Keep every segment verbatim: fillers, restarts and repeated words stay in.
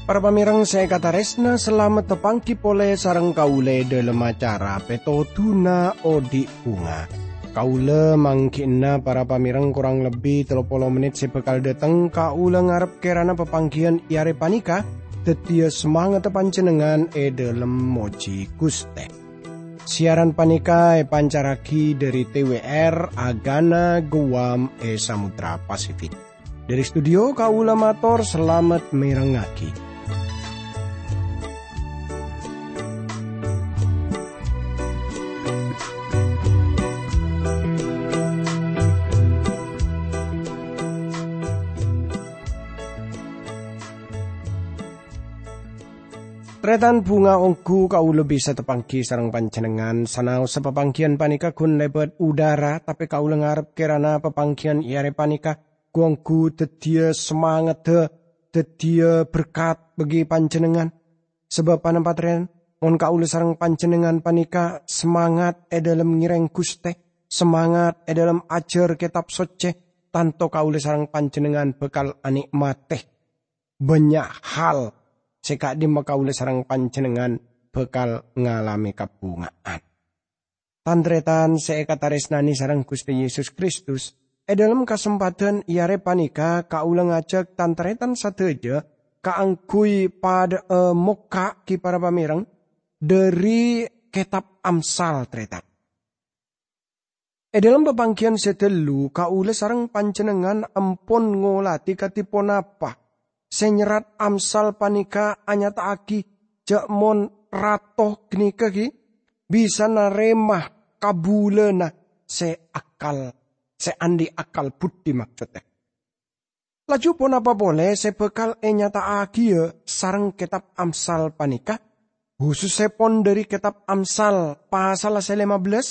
Para pamèrèng sè èkatarèsna, salamet tapangghi polè sareng kaulâ è dhâlem acara Pètodhuna Odi' Bhunga. Kaulâ mangghi'na para pamèrèng korang lebbi tello polo mennit sè bhâkal dhâteng, kaulâ ngarep kèrana papangghiyân è arè panèka dhâddhiyâ samangatta panjhennengngan è dhâlem mojhi Ghustè. Siaran panèka èpancarraghi dhâri T W R Agana Guam è Samudra Pasifik. Dhâri studio kaulâ mator salamet mèrengngaghi. Tarètan bhunga, ongghu kaulâ bisa tapangghi sareng panjhennengngan, sanaossa papangghiyân panèka ghun lèbât udhârâ, tapè kaulâ ngarep kèrana papangghiyân è arè panèka ghu-ongghu dhâddhiyâ samangatta, dhâddhiyâ berkat bagi panjhennengngan. Sabâb ponapa, tarètan? Mon kaulâ sareng panjhennengngan panèka samangat è dhâlem ngèrèng Ghustè, samangat è dhâlem ajhâr Kètab Soccè, tanto kaulâ sareng panjhennengngan bhâkal anè'matè bânnya' hal sè ka'dimma kaulâ sareng panjhennengngan bhâkal ngalamè kabhunga'an. Tan-tarètan sè èkatarèsnanè sareng Ghustè Yesus Kristus, è dhâlem kasempadhân è arè panèka kaulâ ngajhâk tan-tarètan sadhâjâ kaangghuy padhâ'â mokka' ghi para pamèrèng dhâri Kètab Amsal, tarètan. È dhâlem papangghiyân sè ghâllu, kaulâ sareng panjhennengngan ampon ngolatè kadhi ponapa sè nyerrat Amsal panèka anyata'aghi jhâ' mon rato ghânèka ghi bisa narèma kabulâna sè akal, sè andi' akal budi, maksoddhâ. Laju ponapa polè sè bhâkal ènyata'aghiyâ sareng Kètab Amsal panèka, husussèpon dhâri Kètab Amsal pasalla sè lèma bellâs,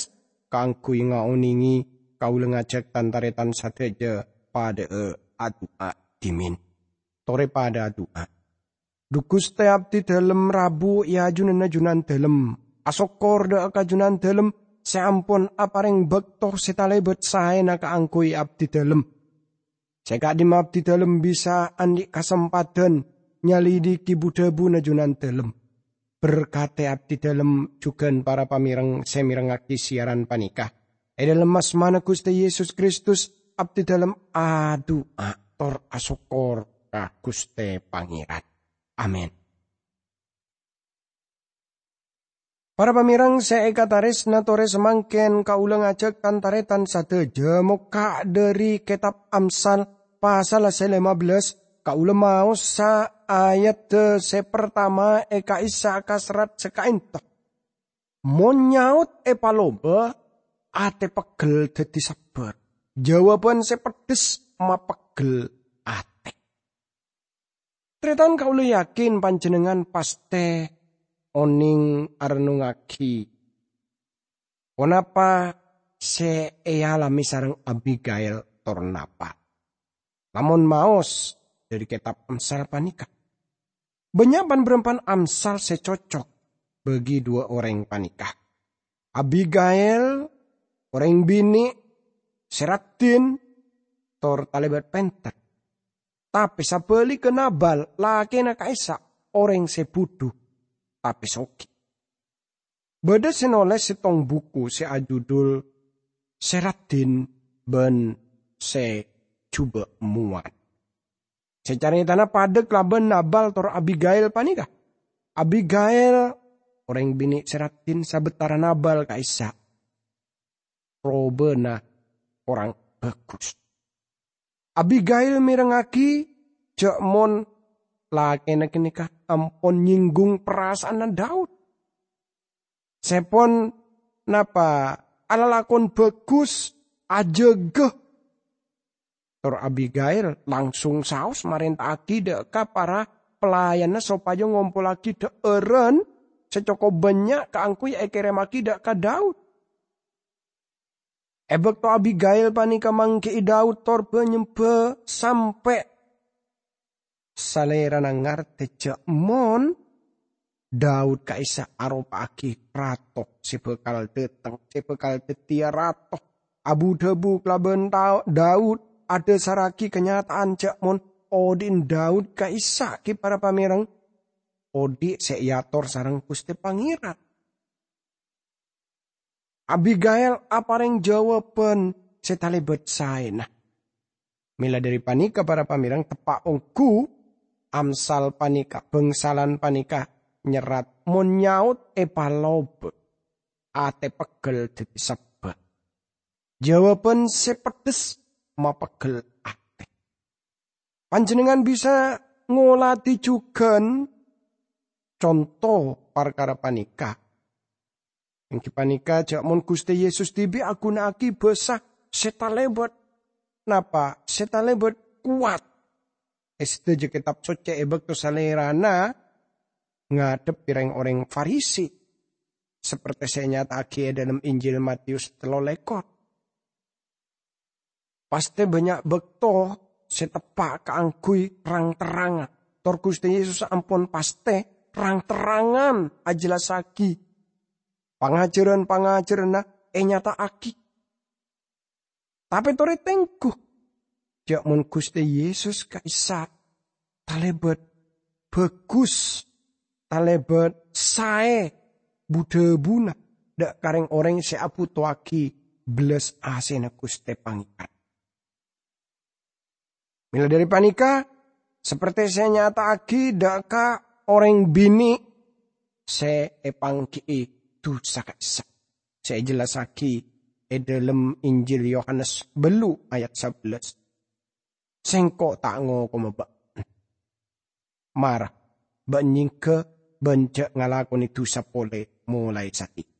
kaangghuy ngaonèngè kaulâ ngajhâk tan-tarètan sadhâjâ padhâ'â adu'a dhimèn. Torè padhâ adu'a. Dhu Ghustè, abdhi dhâlem rabu è ajunanna Jhunandhâlem. Asokkor dhâ' ka Jhunandhâlem sè ampon aparèng bâkto sè talèbât saèna kaangghuy abdhi dhâlem. Sè ka'dimma abdhi dhâlem bisa andi' kasempadhân nyalidiki bu-dhâbuna Jhunandhâlem. Berkatè abdhi dhâlem jhughân para pamèrèng sè mèrengngaghi siaran panèka. È dhâlem asmana Ghustè Yesus Kristus, abdhi dhâlem adu'a tor asokkor ka Ghustè Pangèran. Amin. Para pamèrèng sè èkatarèsna, torè samangkèn kaulâ ngajhâk tan-tarètan sadhâjâ mokka' dhâri Kètab Amsal pasalla sè lèma bellâs, kaulâ maosa ayadda sè partama è ka'issa' ka serrat sè ka'ènto. Mon nyaot èpalobâ, atè peggel dhâddhi sabbhâr. Jhâwâbhân sè peddhâs mapeggel atè. Tarètan, kaulâ yakin panjhennengngan pastè onèng arennungngaghi ponapa sè èalamè sareng Abigail tor Nabal. Lamon maos dhâri Kètab Amsal panèka, bânnya' pan-bârâmpan Amsal sè cocok bagi duwâ' orèng panèka. Abigail, orèng binè' sè raddhin tor talèbât pènter. Tapè sabhâligghâ Nabal, lakèna ka'issa', orèng sè budhu, tapè soghi. Bâdâ sè nolès sèttong buku sè ajudul Sè Raddhin bân Sè Jhubâ' Mowan, sè carètana padâ kalabân Nabal tor Abigail panèka. Abigail, orèng binè' sè raddhin sabâtara Nabal ka'issa', robâna korang bhâghus. Abigail mèrengngaghi jhâ' mon lakèna ghânèka ampon nyènggung parasa'anna Daud. Sè pon napa alalakon bhâghus, ajâgâ. Tor Abigail langsung saos marènta'aghi dhâ' ka para pelayanna sopajâ ngompollaghi dhâ'ârân sè cokop bânnya' kaangghuy èkèrèmmaghi dhâ' ka Daud. È bâkto Abigail panèka mangghi'i Daud tor bâ-nyembâ sampè' salèrana ngartè jhâ' mon Daud ka'issa' aropa'agi rato se bakal dhateng, se bakal dhaddiya rato. Abu-dhabu kalaban ta-, Daud adhasarragi kanyata'an ja' mon odhi'na Daud ka'issa' gi' para pamereng, odhi' se eator sareng Guste Pangeran. Abigail apareng jawaban se talebat saena. Mela dhari paneka, para pamereng, teppa' onggu Amsal paneka, bangsalan paneka nyerrat, "Mon nyaot epaloba, ate peggel daddi sebba." Jawaban se peddhes mapeggel ate. Panjennengngan bisa ngoladi jugan conto parkara paneka. Enggi paneka, ja' mon Guste Yesus dibi' aguna'agi basa se talebat. Napa? Se talebat kowat. E sadaja Ketab Socce e bakto Salerana ngadhebbi reng-oreng Farisi, saperte se enyata'agi e dhalem Injil Matius tello lekor. Pasthe bannya' bakto se teppa' kaangguy rang-terrangan. Tor Guste Yesus ampon pasthe rang-terrangan ajellassagi. Pangajaran-pangajaranna enyata'agi. Tape tore tenggu, ja' mon Guste Yesus ka'issa' talebat bagus, talebat sae bu-dhabuna dha' ka reng-oreng se abuto'agi bellas asena Guste Pangeran. Mela dhari paneka, saperte se enyata'agi dha' ka oreng bine' se epanggi'i dusa ka'issa', se ejellassagi e dhalem Injil Yohanes ballu ayat sabellas, "Sengko' ta' ngokoma ba'na. Mara, ba'na nyengga ban ja' ngalakone dusa pole molae sateya."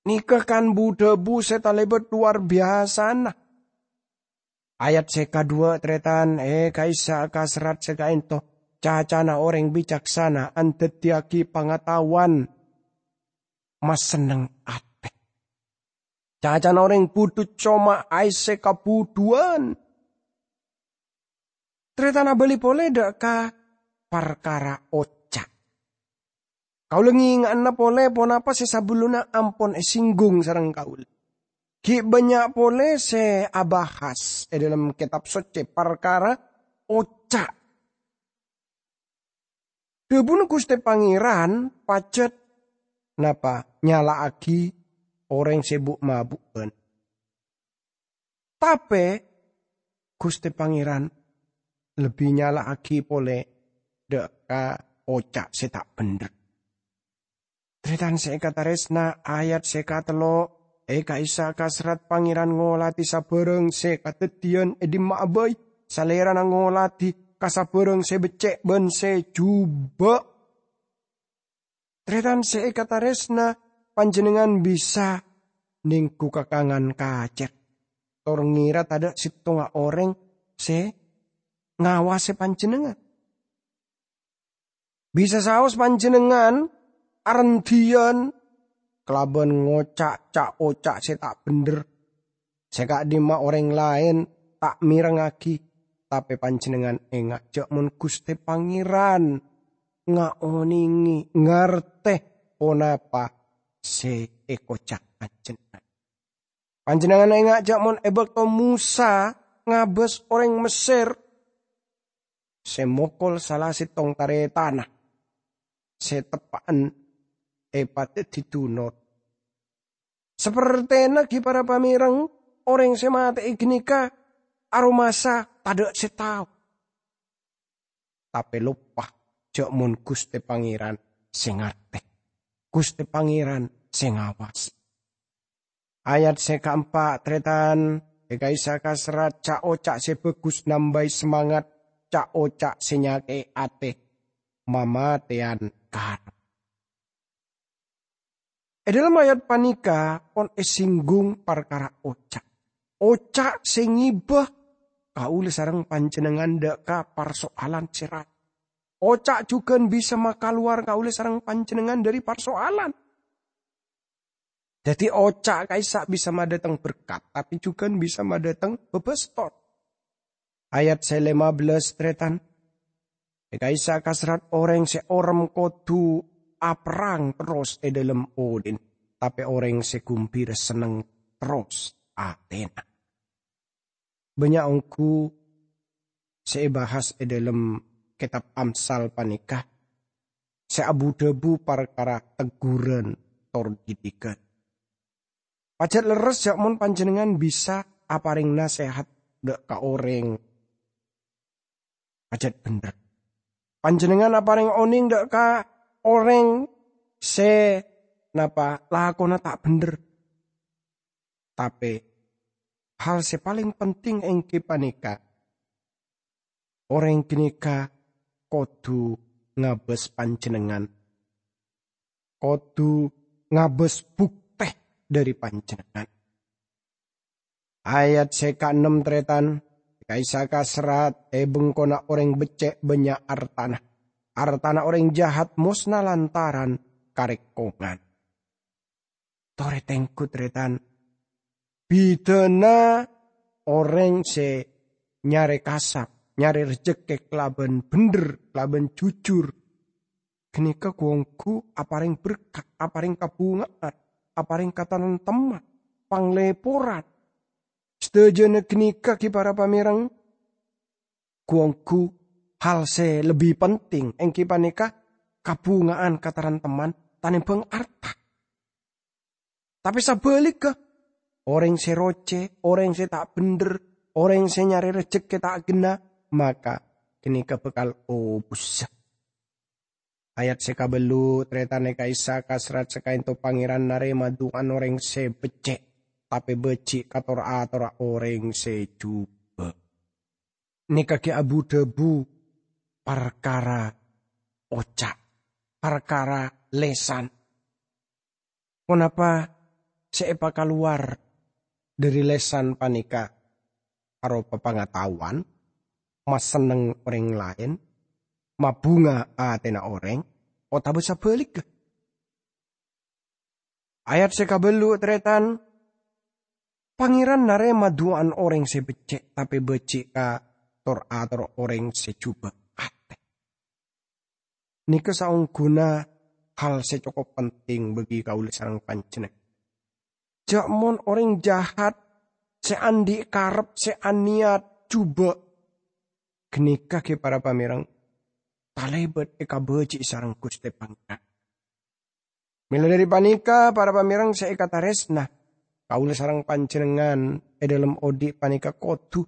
Neka kan bu-dhabu se talebat lowar biyasana. Ayat se kadhuwa, taretan, e ka'issa' ka serrat se ka'ento, cacana oreng bicaksana andaddiyagi pangataowan masenneng ate. Cacana oreng budhu coma aesse kabudhuwan. Taretan, abali pole dha' ka parkara oca'. Kaula ngenga'ana pole ponapa se sabellunna ampon esinggung sareng kaula. Gi' bannya' pole se abahas e dhalem Ketab Socce parkara oca'. Dhabuna Guste Pangeran pajat napa? Nyala'agi oreng se bu'-mabu'an. Tape Guste Pangeran lebbi nyala'agi pole dha' ka oca' se ta' bendher. Taretan se ekataresna, ayat se katello, e ka'issa' ka serrat Pangeran ngoladi sabarang se kadaddiyan e dimma'a bai. Salerana ngoladi ka sabarang se becce' ban se juba'. Taretan se ekataresna, panjennengngan bisa nenggu kakangan kacer, tor ngira tadha' settonga oreng se ngawase panjennengngan. Bisa saos panjennengngan arendhiyan kalaban ngoca' ca'-oca' se ta' bendher, se ka'dhimma oreng laen ta' merengngagi, tape panjennengngan enga' ja' mon Guste Pangeran ngaonenge, ngarte ponapa se ekoca' panjennengngan. Panjennengngan enga' ja' mon e bakto Mosa ngabas oreng Messer se mokol sala settong taretanna se teppa'en epadaddi dunor. Sapertena gi' para pamereng, oreng se mate'e ganeka aromasa tadha' se tao. Tape loppa ja' mon Guste Pangeran se ngarte, Guste Pangeran se ngawase. Ayat se kaempa', taretan, e ka'issa' ka serrat ca'-oca' se bagus nambai semangat, ca'-oca' se nyake'e ate mamateyan karep. E dhalem ayat paneka pon esinggung parkara oca'. Oca' se ngeba kaula sareng panjennengngan dha' ka parsoalan se raja. Oca' jugan bisa makalowar kaula sareng panjennengngan dhari parsoalan. Daddi, oca' ka'issa' bisa madhateng berkat, tape jugan bisa madhateng babastor. Ayat se lima belas, taretan. È ka'issa' kaserrat orèng sè orèm kodhu aperrang terros è dhâlem odhi'na, tapè orèng sè ghumbira senneng terros atèna. Bânnya' ongghu sè èbahas è dhâlem kètab Amsal panèka sè abu-dhâbu parkara tegghuran tor didighân. Pajhât lerres jhâ' mon panjhennengngan bisa aparèng nasèhat dhâ' ka orèng, pajhât bhendher. Panjhennengngan aparèng onèng dhâ' ka orèng sè napa lakona ta' bhendher. Tapè, hal sè palèng penting èngghi panèka, orèng ghânèka kodhu ngabâs panjhennengngan, kodhu ngabâs buktè dhâri panjhennengngan. Ayat sè kaennem, tarètan, ka'issa' kaserrat è bengkona orèng beccè' bânnya' artana. Artana orèng jahat mosna lantaran karèkongan. Torè tengghu, tarètan. Bidhâna orèng sè nyarè kasap, nyarè rejhekkè kalabân bhendher, kalabân jujur, ghânèka ghu-ongghu aparèng berkat, aparèng kabhunga'an, aparèng katarèmtemman, panglèporan. Sadhâjâna ghânèka ghi para pamèreng, ghu-ongghu hal sè lebbi penting èngghi panèka kabhunga'an katarèmtemman tanèmbhâng arta. Tapè sabhâligghâ, orèng sè rocè, orèng sè ta' bhendher, orèng sè nyarè rejhekkè ta' ghenna, maka ghânèka bhâkal obusa. Ayat sè kabellu, tarètan, ka'issa' kaserrat sakaènto Pangèran narèma du'ana orèng sè beccè', tapè bâji' ka tor-atorra orèng sè jhubâ'. Nèka ghi' abu-dhâbu parkara oca', parkara lèsan. Ponapa sè èpakalowar dhâri lèsan panèka? Aropa pangataowan, masenneng orèng laèn, mabhunga atèna orèng, otabâ sabhâligghâ? Ayat sè kabellu, tarètan, Pangèran narèma du'ana orèng sè beccè', tapè bâji' ka tor-atorra orèng sè jhubâ' atè. Nèka saongghuna hal sè cokop penting bagi kaulâ sareng panjhennengngan. Jhâ' mon orèng jahat sè andi' karep, sè anèyat jhubâ', ghânèka ghi para pamèreng, talèbât èkabâji'i sareng Ghustè Pangèran. Mèla dhâri panèka, para pamèreng sè èkatarèsna, kaulâ sareng panjhennengngan è dhâlem odi' panèka kodhu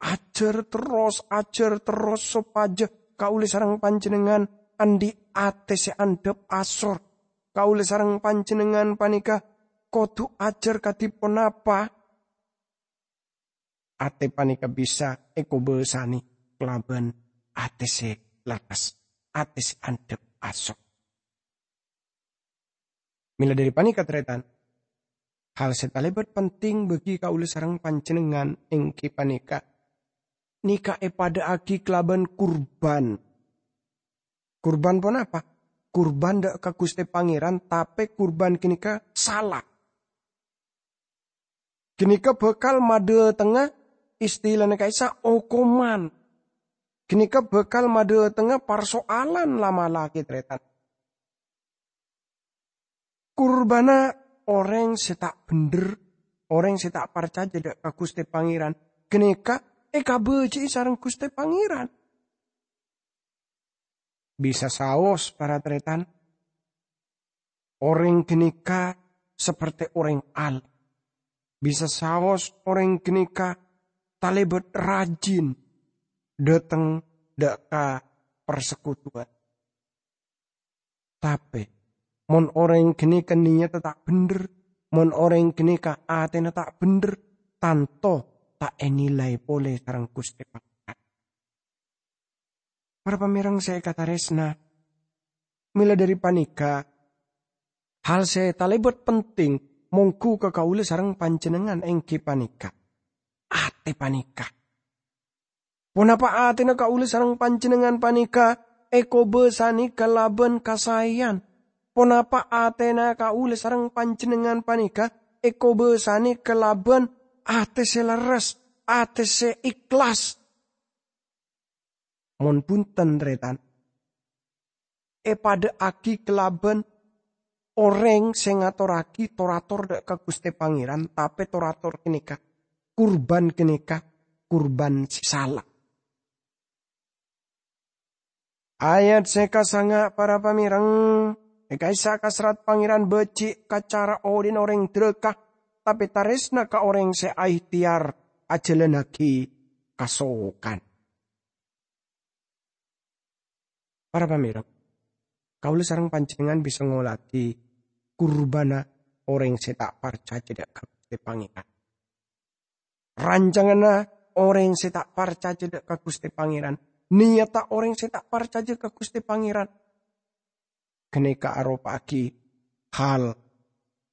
ajhâr terros, ajhâr terros sopajâ kaulâ sareng panjhennengngan andi' atè sè andhâp asor. Kaulâ sareng panjhennengngan panèka kodhu ajhâr kadhi ponapa atè panèka bisa èkobâsanè kalabân atè sè lerres, atè sè andhâp asor. Mèla dhâri panèka, tarètan, hal sè talèbât penting bagi kaulâ sareng panjhennengngan èngghi panèka, nèka èpadâ'aghi kalabân kurban. Kurban ponapa? Kurban dhâ' ka Ghustè Pangèran, tapè kurban ghânèka sala. Ghânèka bhâkal madhâtengnga istilana ka'issa' okoman. Ghânèka bhâkal madhâtengnga parsoalan la-mala ghi, tarètan. Kurbânna orèng sè ta' bhendher, orèng sè ta' parcajâ dhâ' ka Ghustè Pangèran, ghânèka èkabâji'i sareng Ghustè Pangèran. Bisa saos, para tarètan, orèng ghânèka sapertè orèng al-, bisa saos orèng ghânèka talèbât rajin dhâteng dhâ' ka parsekutuwân. Tapè, mon orèng ghânèka niyatta ta' bhendher, mon orèng ghânèka atèna ta' bhendher, tanto ta' ènilai polè sareng Ghustè Pangèran. Para pamèreng sè èkatarèsna, mèla dhâri panèka, hal sè talèbât penting mongghu ka kaulâ sareng panjhennengngan èngghi panèka atè panèka. Ponapa atèna kaulâ sareng panjhennengngan panèka èkobâsanè kalabân kasaèyan? Ponapa atèna kaulâ sareng panjhennengngan panèka èkobâsanè kalabân atè sè lerres, atè sè ikhlas? Mon bhunten, tarètan, èpadhâ'âghi kalabân orèng sè ngatorraghi tor-ator dâ' ka Ghustè Pangèran, tapè tor-ator ghânèka, kurban ghânèka kurban sè sala. Ayat sè kasanga', para pamèreng, è ka'issa' kaserrat Pangèran bâji' ka cara odi'na orèng dhârâka, tapè tarèsna ka orèng sè aèhtèyar ajhâlânnaghi kasokan. Para pamèreng, kaulâ sareng panjhennengngan bisa ngoladi kurbânna orèng sè ta' parcajâ dâ' ka Ghustè Pangèran. Rancanganna orèng sè ta' parcajâ dâ' ka Ghustè Pangèran, niyatta orèng sè ta' parcajâ ka Ghustè Pangèran, ghânèka aropa'aghi hal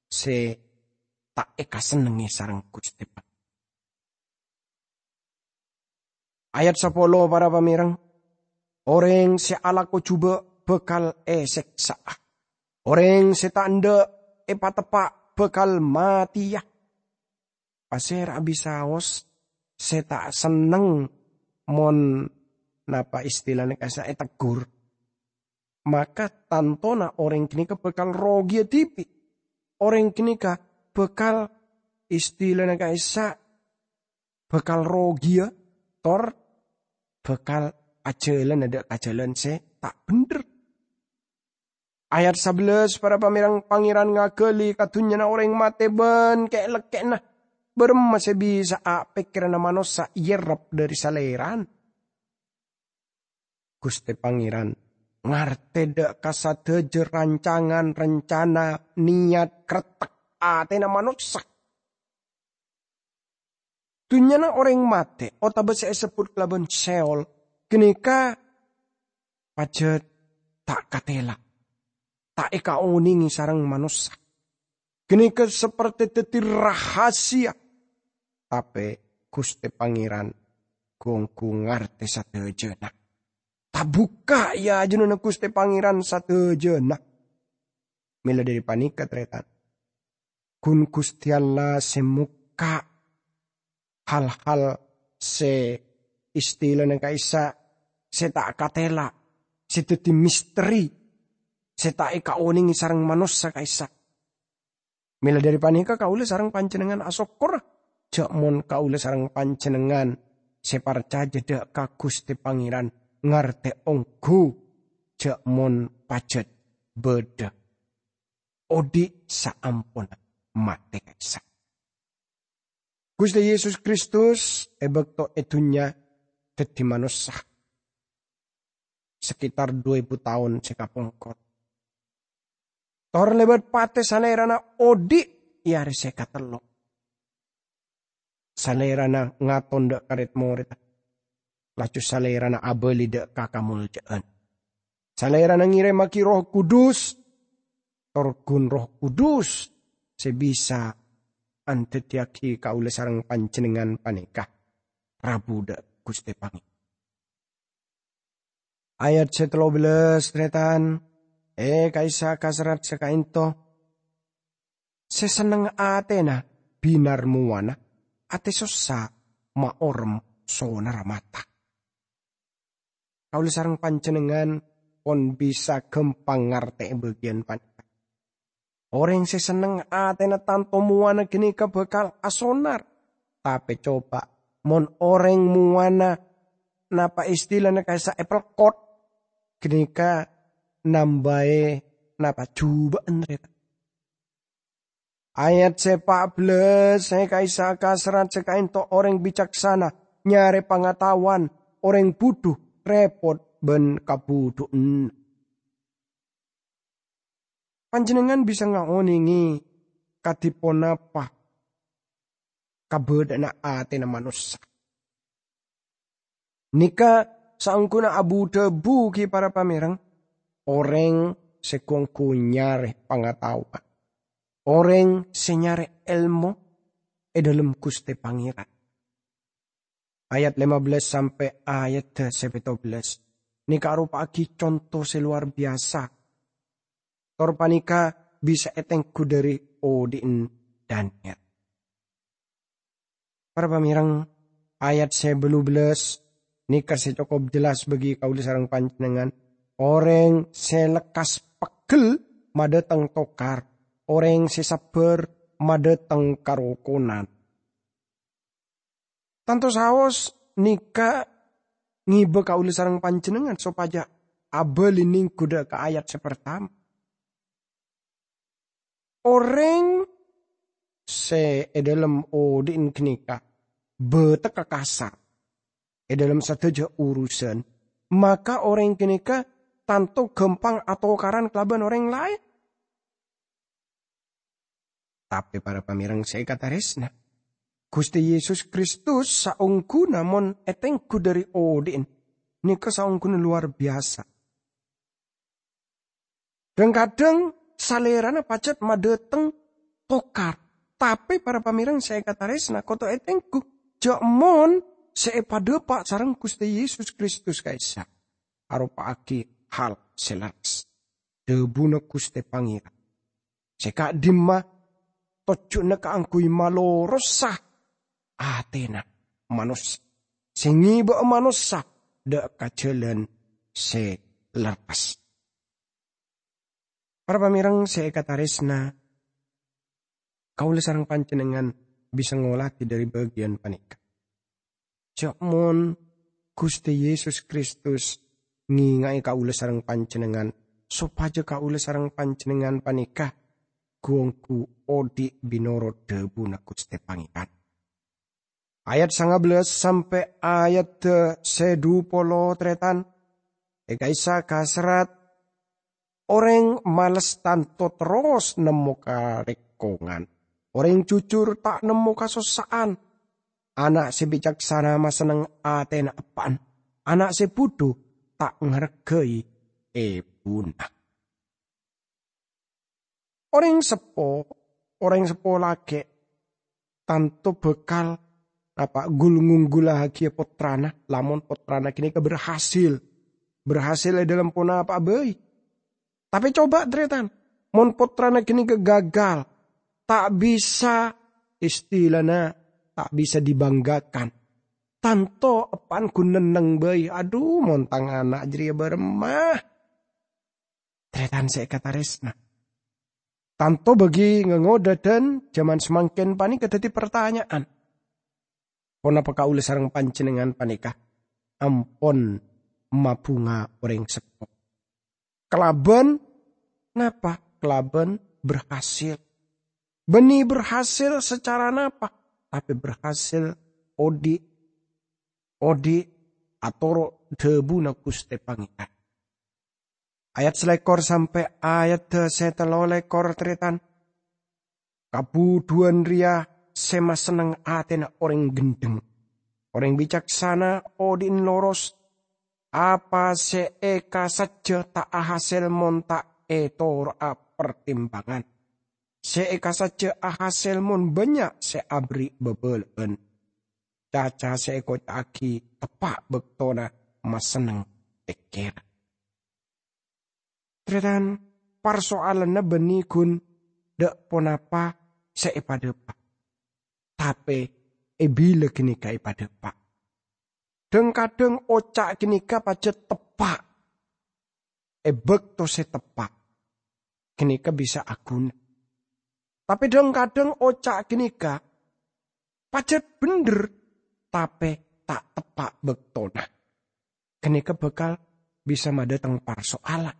sè ta' èkasennengngè sareng Ghustè Pangèran. Ayat sapolo, para pamèreng, "Orèng sè alako jhubâ' bhâkal èsèksa'a. Orèng sè ta' endâ' èpateppa' bhâkal matèya." Pasèra'a bisaos sè ta' senneng mon, napa istilana ka'issa', ètegghur? Maka tantona orèng ghânèka bhâkal rogiya dhibi'. Orèng ghânèka bhâkal, istilana ka'issa', bhâkal rogiya, tor bhâkal ajhâlâna dâ' ka jhâlân sè ta' bhendher. Ayat sabellâs, para pamèreng, Pangèran ngaghâli ka dhunnyana orèng matè bân kè'-lèkkè'na. Bârâmma sè bisa'a pèkkèranna manossa èyèrrep dhâri Salèrana? Ghustè Pangèran ngartè dâ' ka sadhâjâ rancangan, rencana, niyat, krettek atèna manossa. Dhunnyana orèng matè, otabâ sè èsebbhut kalabân Seol, ghânèka pajhât ta' katèla, ta' èkaonèngè sareng manossa. Ghânèka sapertè dhâddhi rahasia. Tapè Ghustè Pangèran ghu-ongghu ngartè sadhâjâna. Tabukka' è ajunanna Ghustè Pangèran sadhâjâna. Mèla dhâri panèka, tarètan, ghun Ghustè Allah sè mokka' hal-hal sè istilana ka'issa' sè ta' katèla, sè dhâddhi misteri, sè ta' èkaonèngè sareng manossa ka'issa'. Mèla dhâri panèka, kaulâ sareng panjhennengngan asokkor jhâ' mon kaulâ sareng panjhennengngan sè parcajâ dâ' ka Ghustè Pangèran ngartè ongghu jhâ' mon pajhât bâdâ odi' saamponna matè ka'issa'. Ghustè Yesus Kristus è bâkto è dhunnya dhâddhi manossa sakitar du èbu taon sè kapongkor. Tor lèbât patè Salèrana odi' è arè sè katello'. Salèrana ngaton dâ' ka rèd-morèdda, laju Salèrana abâli dâ' ka kamoljâ'ân. Salèrana ngèrèmmaghi Erroh Kudus, tor ghun Erroh Kudus sè bisa andhâddhiyâghi kaulâ sareng panjhennengngan panèka rabu dâ' Ghustè Pangèran. Ayat sè tello bellâs, tarètan, è ka'issa' kaserrat sè ka'ènto, "Sè senneng atèna bhinar mowana, atè sossa maorèm sonarra mata." Kaulâ sareng panjhennengngan pon bisa ghâmpang ngartè'è bâgiyân panèka. Orèng sè senneng atèna tanto mowana ghânèka bhâkal asonar. Tapè coba, mon orèng mowana, napa istilana ka'issa' èpèlkot, ghânèka nambâi napa jhubâ'ân, tarètan. Ayat sè pa' bellâs, è ka'issa' kaserrat sè ka'ènto orèng bicaksana nyarè pangataowan, orèng budhu rèpot bân kabudhu'ân. Panjhennengngan bisa ngaonèngè kadhi ponapa kabâdâ'ânna atèna manossa. Nèka saongghuna abu-dhâbu ghi para pamèreng, orèng sè ghu-ongghu nyarè pangataowan, orèng sè nyarè èlmo è dhâlem Ghustè Pangèran. Ayat lèma bellâs sampè' ayat sè pètto bellâs nèka aropa'aghi conto sè lowar biyasa. Tor panèka bisa ètengghu dhâri odi'na Daniel. Para pamèreng, ayat sè bâllu bellâs Nèka sè cokop jelas bagi kaulâ sareng panjhennengngan. Orèng sè lekkas peggel madâteng tokar. Orèng sè sabbhâr madâteng karokonan. Tanto saos nèka ngibâ kaulâ sareng panjhennengngan sopajâ abâli nèngghu dâ' ka ayat sè partama. Orèng sè è dâlem odi'na ghânèka bâtekka kasar è dâlem sadhâjâ urusan, maka orèng ghânèka tanto ghâmpang atokaran kalabân orèng laèn. Tapè para pamèreng sè èkatarèsna, Ghustè Yesus Kristus saongghuna mon ètengghu dâri odi'na, nèka saongghuna lowar biyasa. Dhâng-kadhâng salèrana pajhât madâteng tokar, tapè para pamèreng sè èkatarèsna kodhu ètengghu jhâ' mon sè èpadâpa' sareng Ghustè Yesus Kristus ka'issa' aropa'aghi hal sè lerres. Dhâbuna Ghustè Pangèran sè ka'dimma tojjhuna kaangghuy malorosa atèna manossa, sè ngibâ'â manossa dâ' ka jhâlân sè lerres. Para pamèreng sè èkatarèsna, kaulâ sareng panjhennengngan bisa ngolatè dâri bâgiyân panèka. Jhâ' mon Ghustè Yesus Kristus ngènga'è kaulâ sareng panjhennengngan, sopajâ kaulâ sareng panjhennengngan panèka ghu-ongghu odi' bi' norot dhâbuna Ghustè Pangèran. Ayat sanga bellâs sampè' ayat sè du polo, tarètan. È ka'issa' kaserrat, "Orèng males tanto terros nemmo karèkongan. Orèng jujur ta' nemmo kasossa'an. Ana' sè bicaksana masenneng atèna eppa'na. Ana' sè budhu ta' ngarghâi èbuna." Orèng seppo, orèng seppo lakè', tanto bhâkal napa ghul-, ngongghullaghiyâ pottrana, lamon pottrana ghânèka berhasil. Berhasil è dâlem ponapa'a bhâi. Tapè coba, tarètan, mon pottrana ghânèka gagal, ta' bisa, istilana, ta' bisa dibanggakan. Tanto eppa'na ghun nenneng bhâi, "Adhu, mon tang ana' jârèya bârâmma?" Tarètan sè èkatarèsna. Tanto bagi ngangodâ dân jhâman samangkèn panèka dhâddhi partanya'an. Ponapa kaulâ sareng panjhennengngan panèka ampon mabhunga orèng seppo? Kalabân napa? Kalabân berhasil. Bânnè berhasil sacara napa? Tapè berhasil odi', odi' atoro' dhâbuna Ghustè Pangèran. Ayat salèkor sampè' ayat sè tello lèkor, tarètan. Kabhudhuwân rèya sè masenneng atèna orèng ghendheng. Orèng bicaksana odi'na loros. Apa sè èkasajjhâ ta' ahasèl mon ta' ètoro'a partimbangan. Sè èkasajjhâ ahasèl mon bânnya' sè aberri' bâbâlâ'ân. Caca sè èkoca'aghi teppa' bâktona masenneng pèkkèran. Tarètan, parsoalanna bânnè ghun dâ' ponapa sè èpadâpa', tapè è bilâ ghânèka èpadâpa'. Dhâng-kadhâng oca' ghânèka pajhât teppa'. È bâkto sè teppa', ghânèka bisa aghuna. Tapè dhâng-kadhâng oca' ghânèka pajhât bhendher, tapè ta' teppa' bâktona. Ghânèka bhâkal bisa madâteng parsoalan.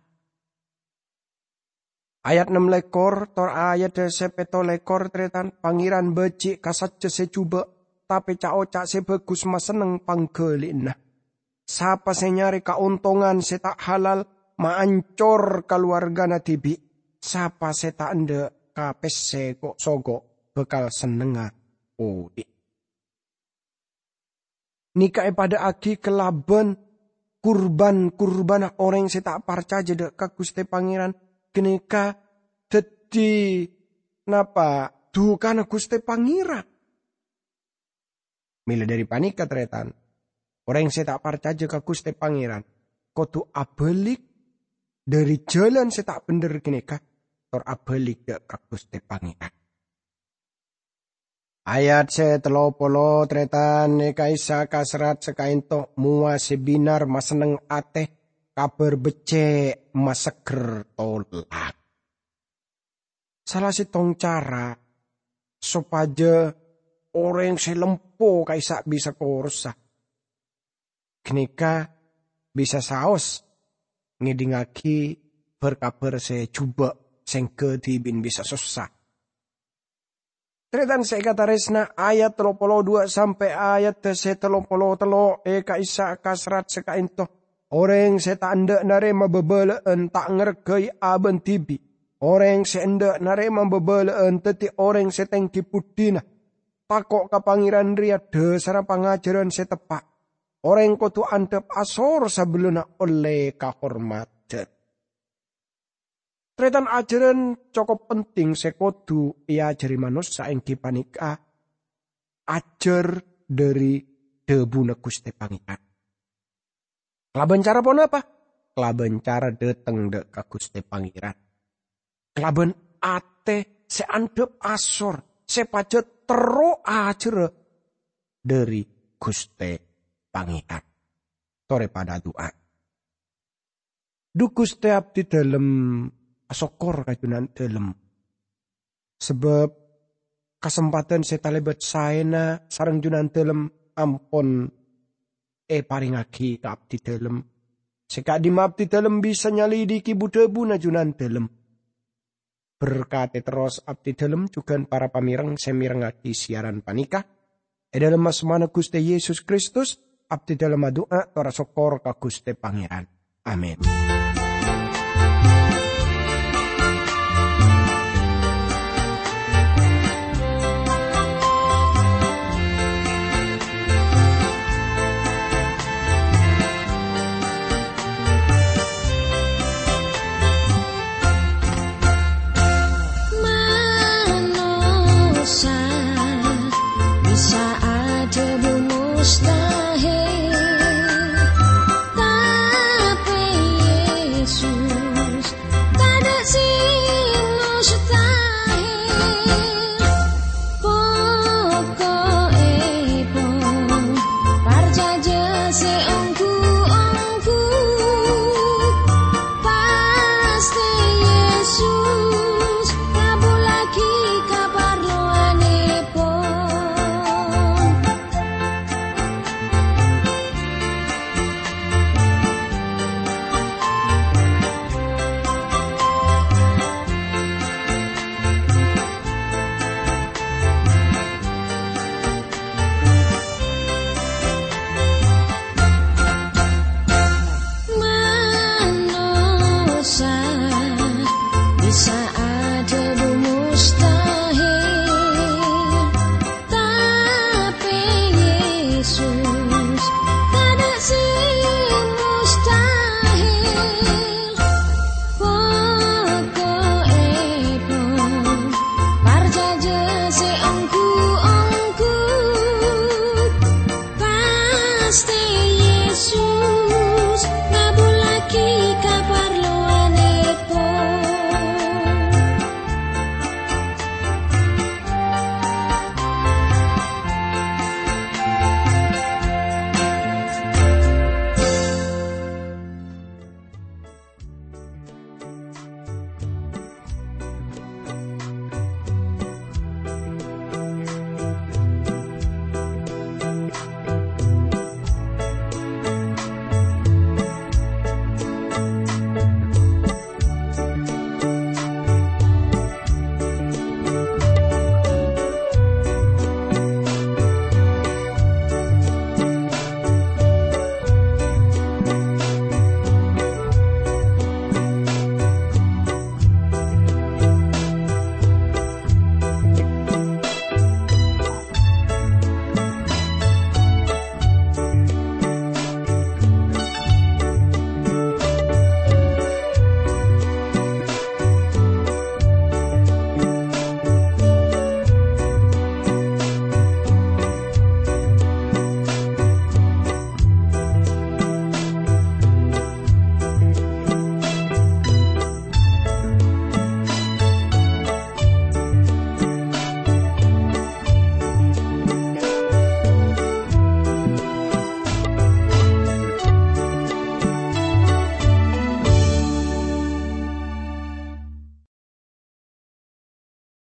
Ayat nem lèkor tor ayat sè pètto lèkor, tarètan, Pangèran bâji' ka sajjhâ sè jhubâ', tapè ca'-oca' sè bhâghus masenneng pangghâli'ânna. Sapa sè nyarè kaontongan sè ta' halal, maancor kalowargana dhibi'. Sapa sè ta' endâ' ka pèssè ko'-soko' bhâkal sennengnga odi'. Nèka èpadâ'âghi kalabân kurban-kurbanna orèng sè ta' parcajâ dâ' ka Ghustè Pangèran. Ghânèka dhâddhi napa? Dhukana Ghustè Pangèran. Mèla dhâri panèka, tarètan, orèng sè ta' parcajâ ka Ghustè Pangèran kodhu abâlik dhâri jhâlân sè ta' bhendher ghânèka, tor abâlik dâ' ka Ghustè Pangèran. Ayat sè tello polo, tarètan, è ka'issa' kaserrat sè ka'ento, mowa sè bhinar masenneng atè, kabhâr beccè' masegger tolak. Sala sèttong cara sopajâ orèng sè lempo ka'issa' bisa korosa ghânèka bisa saos ngèdingngaghi bhâr-kabhâr sè jhubâ' sè èngghâ dhibi'en bisa sossa. Tarètan sè èkatarèsna, ayat tello polo duwâ' sampè' ayat sè tello polo tello' è ka'issa' kaserrat sè ka'ento. Orèng sè ta' endâ' narèma bhâbhâlâ'ân ta' ngarghâi abâ'na dhibi'. Orèng sè endâ' narèma bhâbhâlâ'ân dhâddhi orèng sè tèngghi buddhina. Tako' ka Pangèran rèya dhâsarra pangajhârân sè teppa'. Orèng kodhu andhâp asor sabellunna ollè kahormadhân. Tarètan, ajhârân cokop penting sè kodhu èajhâri manossa èngghi panèka ajhâr dhâri dhâbuna Ghustè Pangèran. Kalabân cara ponapa? Kalabân cara dhâteng dhâ' ka Ghustè Pangèran. Kalabân atè sè andhâp asor, sè pajhât terro ajhârâ dhâri Ghustè Pangèran. Torè padâ adu'a. Dhu Ghustè, abdhidhâlem asokkor ka Jhunandhâlem, sabâb kasempadhân sè talèbât saèna sareng Jhunandhâlem ampon èparèngngaghi ka abdhidhâlem, sè ka'dimma abdhidhâlem bisa nyalidiki bu-dhâbuna Jhunandhâlem. Berkadhi terros abdhidhâlem jhughân para pamèreng sè mèrengngaghi siaran panèka. È dhâlem asmana Ghustè Yesus Kristus, abdhidhâlem adu'a tor asokkor ka Ghustè Pangèran. Amin.